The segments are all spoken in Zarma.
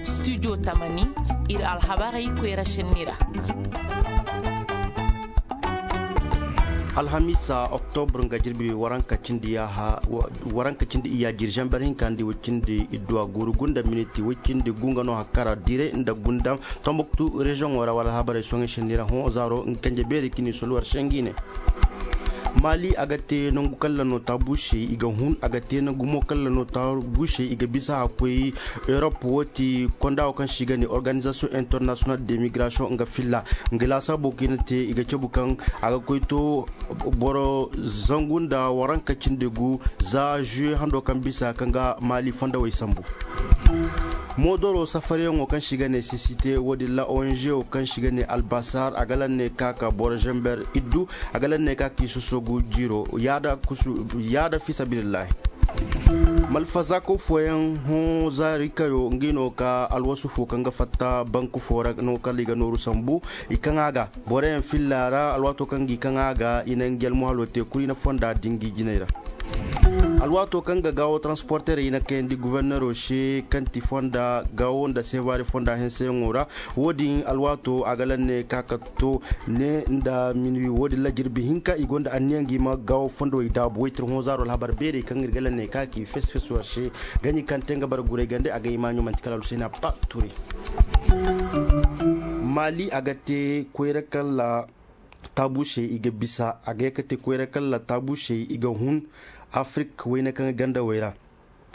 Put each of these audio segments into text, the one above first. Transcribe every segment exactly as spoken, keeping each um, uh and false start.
Studio tamani, iri alhabarey koyra senni ra. Alhamiisa, oktobur nga jirbi waranka cindi iyya jirjamber hinka nda way cindi idduwa guuru gunda miniti way cindi gunga no hakkara dire nda gundam tombuktu reziyoŋo ra wala alhabarey soŋey senni ra hõ zaaro nga kanje beeri kini soluwar sengi ne. Maali a ga te nangu kalla no taabuusey i ga hun a ga te nangu mo kalla no taabuusey i ga bisa a koy. Erop wo ti konda wo kaŋ se i ga ne organizasiyoŋ international de migrasiyoŋ nga filla nga laasaabo kaŋ i na te i ga cabu kaŋ a ga koy to boro zangu nda waranka cindi gu za zuwe hando kaŋ bisa kaŋ ga maali fondawey sambu. Moodoro safariyaŋo kaŋ se i ga ne sisite wo- din ra ong wo kaŋ se i ga ne albasar a ga lanne ka ka boro zamber iddu a ga lanne ka ka i soso gu jiiro yaada fiisabilillahi. Malfazaako fooyaŋ hõ zaari kayo nga i no ka alwasu fo kaŋ ga fatta banku fo ra no kala i ga nooru sambu i kaŋ a ga boro yaŋ filla ra alwaato kaŋ ga i kaŋ a ga i na nga jalmuhalo te kulu i na fonda dingi jinay ra. Alwaato kaŋ ga gaawo transporteerey i na kayandi guverneero se kaŋ ti fonda gaawo nda seebaari fonda henseyaŋo ra. Wo- din alwaato a ga lanne ka ka to ne nda minuwi wo- din ra jirbi hinka i gonda anniya nga i ma gaawo fondowey daabu waytir hõ zaaro alhabar beerey kaŋ iri ga lanne ka ka i fes fes war se. Gaɲi kaŋ te nga bara guray gande a ga i maaɲo manti kala alhusayna ba turay. Maali a ga te koyra kalla taabuusey i ga bisa a ga ye ka te koyra kalla taabuusey i ga hun afirik wayna kaŋ ga gandawey ra.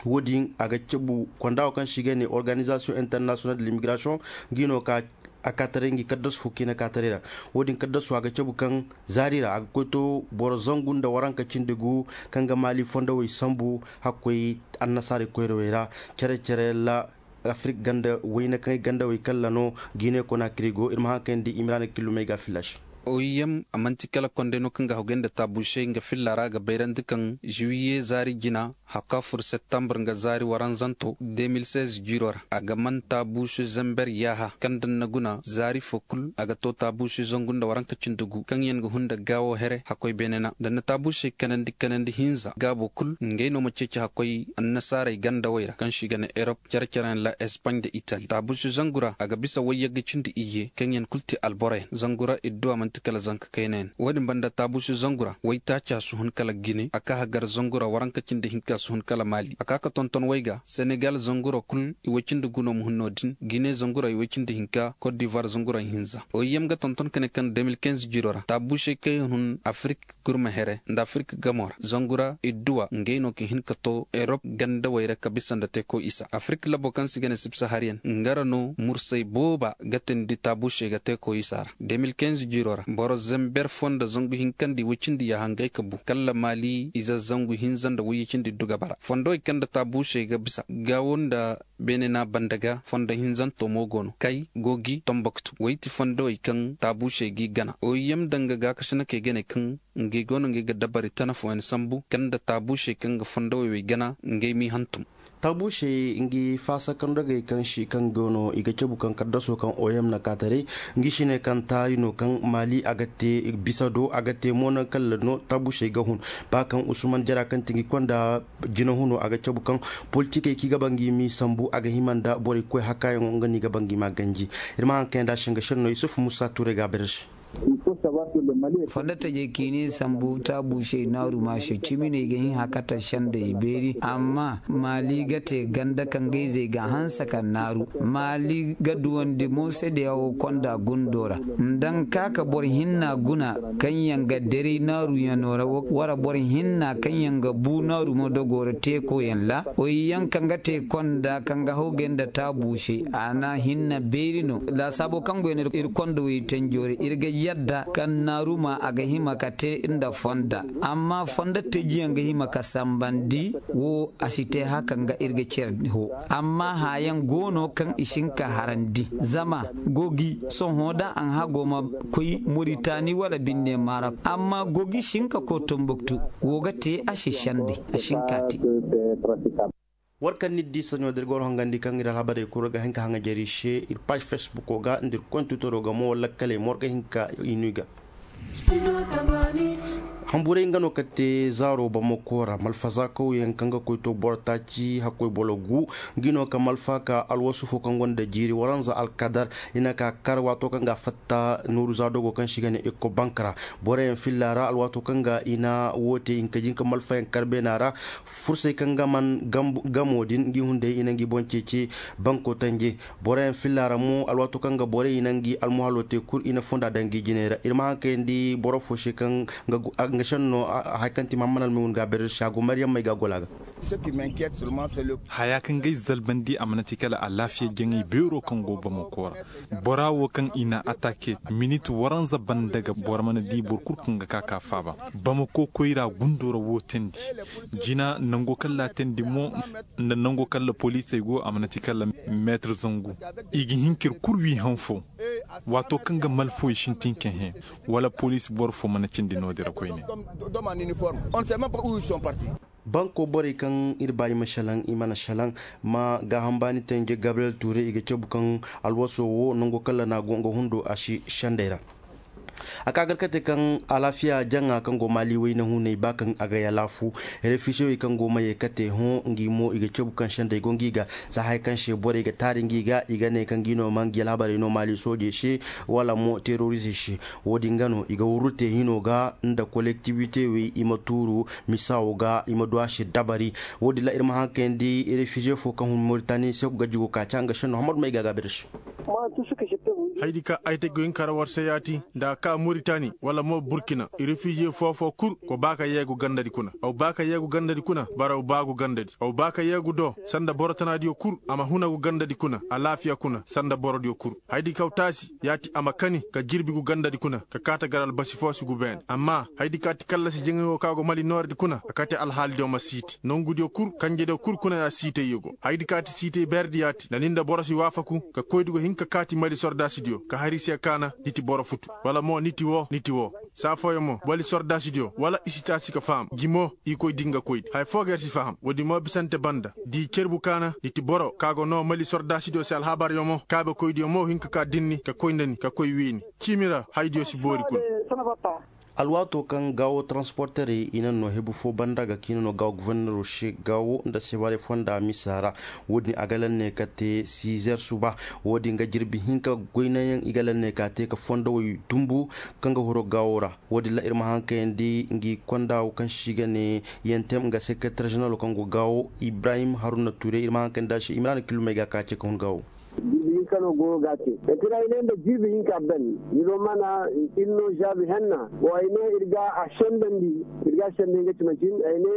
Wo- din a ga cabu konda wo kaŋ se i ga ne organizasiyoŋ international de l'immigration. Nga i no ka a ka taray nga i kaddasu fo kaŋ i na ka taray ra. Wo- din kaddasu a ga cabu kaŋ zaari ra a ga koy to boro zangu nda waranka cindi gu kaŋ ga maali fondowey sambu hakkoy annasaarey koyrawey ra. Care care ra afirik ganda wayna kaŋ ay gandawey kalla no. Gine konaakiri go iri ma haŋ kayandi imiraana killumey ga fillaasi. Oiyem a manti kala konday no kaŋ ga haggoy nda taabuusey nga filla ra a ga bayrandi kaŋ zuwiye zaari jina hakka fur septambur nga zaari waranzanto de mil seize jiiro ra a ga man taabuusu zamber yaaha kaŋ daŋ na guna zaari fo kulu a ga to taabuusu zangu nda waranka cindi gu kaŋ yaŋ ga hun nda gaawo here hakkoy beene na daŋ na taabuusey kanandi kanandi hinza gaabo kulu ngey no ma ceeci hakkoy annasaarey gandawey ra kaŋ se i ga ne erop care care yaŋ ra espaaɲ nda itali taabuusu zangu ra a ga bisa wayyagga cindi iyye kaŋ yaŋ kulu ti alboro yaŋ zangu ra idduwa manti kala zanka kayna yaŋ wo- din banda taabuusu zangu ra waytaaca si hun kala gine a ka hagar zangu ra waranka cindi hinka si hun kala maali a ka ga tonton way ga senegal zangu ra kulu i way cindi gu no ma hun no- din gine zangu ra i way cindi hinka kot divuwar zangu ra hinza oiyem ga tonton ka ne kaŋ de mil kinze jiiro ra taabuusey kaŋ yaŋ hun afirik gurma here nda afirik gamo ra zangu ra idduwa ngey no ga hin ka to erop gandawey ra ka bisa nda teeko isa afirik labo kaŋ se i ga ne sibsahariyan nga ra no mursay booba ga tindi taabuusey ga teeko isa ra de mil kinze jiiro ra boro zamber fo nda zangu hinka nda i way cindi yaaha ngey ka bu kala maali ize zangu hinza nda wayye cindi iddu ga bara fondowey kaŋ nda taabuusey ga bisa gaawo nda beene na banda ga fondo hinzanto mo go no kay gogi tomboktu wayti fondowey kaŋ taabuusey g'i gana oiyem danga gaakasinakey ga ne kaŋ ngey go no ngey ga dabari tana fooyaŋ sambu kaŋ nda taabuusey kaŋ ga fondowey wey gana ngey m'i hantum. Taabuusey ngi faasa kaŋ dogey kaŋ si kaŋ go no i ga cabu kaŋ kaddaso kaŋ oiyem na kaataray ngi si ne kaŋ taari no kaŋ maali a ga te bisa do a ga te mo naŋ kala no taabuusey ga hun ba kaŋ usman jara kaŋ ti ngi konda jina huno a ga cabu kaŋ politikey kaŋ i ga ba ngi m'i sambu a ga hima nda borey koy hakkayaŋo nga no i ga ba ngi m'a ganji. Iri ma haŋ kaŋ yaŋ da a singa sirno yusuf musa tuurey ga a bare se. Fondo tajey kaŋ i ne sambu taabuusey naaru ma se cimi no i ga hin hakata sendey beeri amma maali ga te ganda kaŋ ga izey ga hanse ka naaru maali ga duwandi mo sedeyawo konda gundo ra nda nga ka ka boro hinna guna kaŋ yaŋ ga deray naaruyaŋo ra wara boro hinna kaŋ yaŋ ga bu naaru mo dogo ra teeko yaŋ ra oy yaŋ kaŋ ga te konda kaŋ ga hawgay nda taabu se a na hinna beeri no laasaabo kaŋ go yaŋ iri konda wo iri tanjo ra iri ga yadda kaŋ naaru ma a ga hima ka te nda fonda amma fonda teeji yaŋ ga hima ka sambandi wo a si te haka nga iri ga care ho amma haayaŋ go no kaŋ i si hin ka harandi zama gogi sohõ da a hago ma koy moritani wala binne maarok amma gogi si hin ka koy tombuktu wo ga te a si sende a si hin ka te. War kaŋ ni di saɲo da iri go no hangandi kaŋ iri alhabarey kulu ga hin ka haŋajari se iri paazi facebook ga nda iri koy twitero ga mo wala lakkaley mo war ga hin ka i no i ga. Hamburay nga no ka te zaaro bamako ra malfaza kawyaŋ kaŋ ga koy to boro taaci hakkoy boro gu. Nga no ka malfa ka alwasu fo kaŋ gonda jiiri waranza alkadar i na ka kar waato kaŋ ga a fatta nooru za dogo kaŋ se i ga ne ikko bank ra. Boroyaŋ filla ra alwaato kaŋ ga i na wo te i na ka jin ka malfayaŋ kar beena ra. Fursey kaŋ ga man gamo din ngi hunday i na ngi boŋ ceeci banko tanje. Boroyaŋ filla ra mo alwaato kaŋ ga borey i na ngi almuhalo te kulu i na fonda daŋ ngi jinay ra iri ma haŋ kayandi boro fo se kaŋ ga senno. Hari kaŋ ti mahammad almaygun ga a beere se a go maryam may ga a gola ga. Haya kaŋ ga ay zalbandi a mana ti kala alaafiya jaŋay beero kaŋ go bamako ra. Bora wo kaŋ i na atake minit waranza banda ga boro mana di boro kulu kaŋ ga ka ka faaba. Bamako koyra gundo ra wo teendi jina nango kaŋ laatandi mo nda nango kaŋ la poliisey go a mana ti kala meetar zangu. I ga hin ka iri kulu wi haŋ fo waato kaŋ ga malfo i sintin ka hẽ wala poliisi boro fo mana cindi no-din ra koyne. Banko borey kaŋ iri ba i ma salaŋ i mana salaŋ ma gaaham baani tanje gabriyel tuure i ga cabu kaŋ alwaso wo nango kaŋ ra no a go nga hundo a si sendey ra. A ka gar kate kaŋ alaafiya jaŋa kaŋ go maali wayna hunay ba kaŋ a ga yalaafu refisewey kaŋ go ma ye kate hõ ngi mo i ga cabu kaŋ sendey go ngi ga. Za hari kaŋ se borey ga taari ngi ga i ga ne kaŋ ngi no ma ngi alhabarey no maali soojey se wala mo terorisey se. Wo-din ga no i ga wurru te hino ga nda kolektibite wey i ma tuuru misa wo ga i ma du a se dabari. Wo-din ra iri ma haŋ kayandi refize fo kaŋ hun moritani se ga jigo ka ca nga senno hamadu may ga a gaabir se. Haydi ka ay te ga hin ka ra war se yaati nda a ka moritani wala mo burkina refize fo-fo kulu go ba ka yeegu gandadi kuna aw ba ka yeegu gandadi kuna bara aw baagu gandadi aw ba ka yeegu do sanda boro tanadiyo kulu a ma huna gu gandadi kuna alaafiya kuna sanda borodiyo kulu. Haydi kaw taasi yaati a ma kani ka jirbi gu gandadi kuna ka kaata gar albasi fo si gu beene amma haydi kaati kallasi jaŋay wo ka go mali nooridi kuna a kate alhaalidiyo ma siiti nongudiyo kulu kanjediyo kulu kuna ya siitayyo go haydi kaati siitay beeredi yaati nda ni nda boro si waafaku ka koydi go hin ka kaati mali sordaasidiyo ka hari se kaana ni ti boro futu wala mo ni ti wo ni ti wo. Saa fooyaŋ mo wali sordaasidiyo wala i si taasi ka faham jimo i koy din ga koydi haya fo ga yer si faham woodin mo bisante banda da i cerbu kaana ni ti boro ka go no mali sordaasidiyo se alhabaryaŋ mo kaabekoydiyo mo hin ka ka dinni ka koy nda ni ka koy wiini. Ciimi ra haydiyo si boori kuna. Alwaato kaŋ gaawo transporterey i naŋ no hebu fo banda ga kiina no gaawo guverneero se gaawo nda sebaare fonda misa ra. Wo-din a ga laŋ ne ka te sizer suba. Wo-din ga jirbi hinka goynayaŋ i ga laŋ ne ka te ka fondowey dumbu kaŋ ga huro gaawo ra. Wo-din ra iri ma haŋ kayandi ngi konda wo kaŋ se i ga ne yentem nga sekretar ženeralo kaŋ go gaawo ibrahim haruna ture iri ma haŋ kayandi a se imrana kilumey ga ka ce ka hun gaawo. Jirbi hinka no go ga te etira i ne nda jirbi hinka ben. Ni do mana iri no zaabi henna wo ay ne iri ga a sendandi iri ga a sendandi nga cima cin ay ne.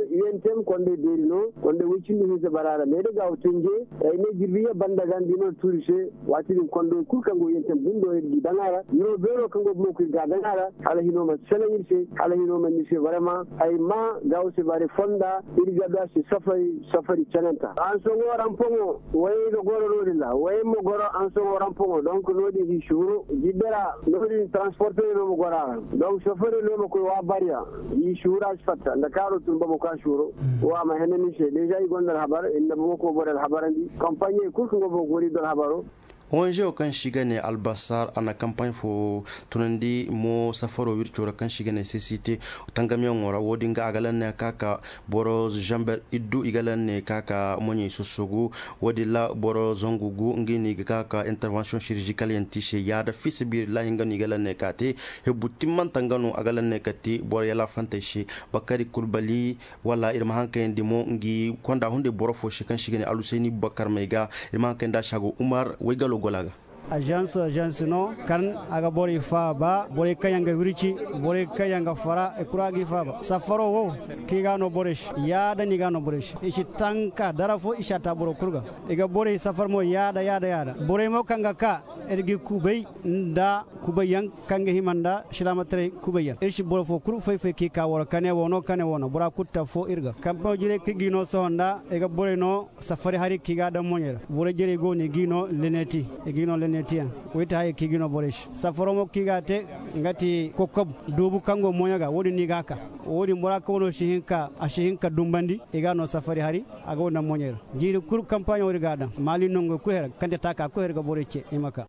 Yentem kondey beeri no kondey way cindi hinza bara ra me da ga wo tenje ay ne jirbi ye banda ga nda i no tuuri se. Waati din kondey kulu kaŋ go yentem bundo iri ga i daŋ a ra ni no beero kaŋ go bumo kulu iri ga a daŋ a ra hala hino ma selaŋ iri se hala hino ma ni se barema ay ma ga wo se bare fonda iri ga do a se safari safari cananta hansoŋo rampoŋo. Way ga goro no-din ra way ma goro hansoŋo rampoŋo donk no-din hi si huru jidde ra no-din transportey no ma goro a ra. Donk sofere no ma koy wa bariya hi si huru a si fatta nda kaaro tun bamako a si huru. Wo a ma hene ni se deja i gonda alhabar iri na bamako boro alhabarandi kampaɲey kulu kaŋ go bamako wala i do alhabaro. Onge wo kaŋ se i ga ne albasar a na kampaɲ fo tunandi mo safaro wirco ra kaŋ se i ga ne sesite tangamyaŋo ra wo-din ga a ga laŋ ne ka ka boro zamber iddu i ga laŋ ne ka ka moɲey sossogu. Wo-din ra boro zangu gu nga no i ga ka ka intervention chirurgicale yaŋ te i se yaada fi sabiirillahi nga no i ga laŋ ne ka te. Hebbu timmanta nga no a ga laŋ ne ka te boro yalaafantey se. Bakari kulbali wala iri ma haŋ kayandi mo ngi konda hunday boro fo se kaŋ se i ga ne alusayni bubakar may ga. Iri ma haŋ kayandi a se a go umar waygalo gola ga. Agence agence no kaŋ a ga borey faaba borey kaŋ yaŋ ga wirci borey kaŋ yaŋ ga fara i kura ga i faaba safaro wo kaŋ i ga no borey se yaada no i ga no borey se i si tanka dara fo i si a ta boro kulu ga. I ga borey safar mo yaada yaada yaada borey mo kaŋ ga ka iri ga i kubay nda kubay yaŋ kaŋ ga hima nda silaamataray kubay yaŋ iri si boro fo kulu fay-fay kaŋ i ka waro kane wo no kane wo no bora kulu ta fo iri ga kampaŋo jirey kaŋ i ga i no sohõ nda i ga borey no safari hari kaŋ i ga a daŋ moɲey ra borey jarey go no i ga i no leneti i ga i no leneti yaŋ. Way ti hayey kaŋ i ga i no borey se safaro mo kaŋ i ga a te nga ti kokob doobu kaŋ go moɲo ga wo-din no i ga a ka wo-din bora kaŋ wano si hin ka a si hin ka dumbandi i ga a no safari hari a ga wo daŋ moɲey ra. Jiiri kulu kampaɲo iri ga a daŋ maali nongo kulu here kaŋ te taaka kulu here ga borey ce i ma ka.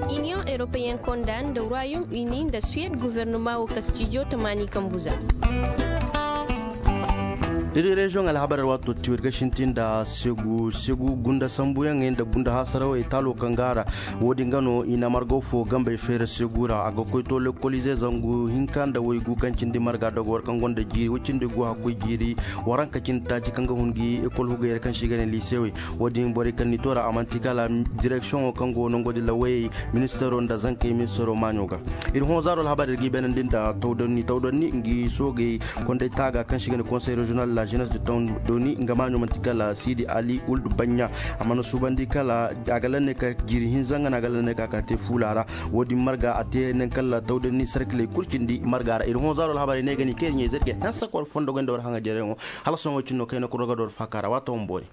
Union européenne. Konda nda royaume uni nda suwed guvernama wo kastijo tamaani kambu za. Iri reziyoŋ alhabar ra waato tiyo iri ga sintin nda segu segu gunda sambuyaŋey nda gunda hasarawey taalo kaŋ ga a ra. Wo- din ga no i na margo fo gambey feera segu ra a ga koy to lekkolize zangu hinka nda waygu kaŋ cindi marga dogo war kaŋ gonda jiiri way cindi gu hakkoy jiiri waranka cindi taaci kaŋ ga hun gi ekol hugey ra kaŋ se i ga ne liisewey. Wo- din borey kaŋ n'i to ra a manti kala direksiyoŋo kaŋ go nango din ra wayey ministaro nda zankey ministaro maaɲo ga. Iri hõ zaaro alhabar iri ga i beenandi nda tawdanni tawdanni nga i soogey konday taaga kaŋ se i ga ne konsey reziyonal la jenes de tawdanni nga maaɲo manti kala siidi ali uldu baɲɲa. A mana suubandi kala a ga lanne ka jiiri hinza nga no a ga lanne ka ka te fuula ra. Wo- din marga a te naŋ kala tawdanni sarkiley kulu cindi marga ra iri hõ zaaro alhabar i ne ga ni kaŋ iri ɲayzey ga hanse kor fondo gonda war haŋa jareyaŋo. Hala sohõ wo- cine no kayna kuro ga da war faaka ra waato ma boori.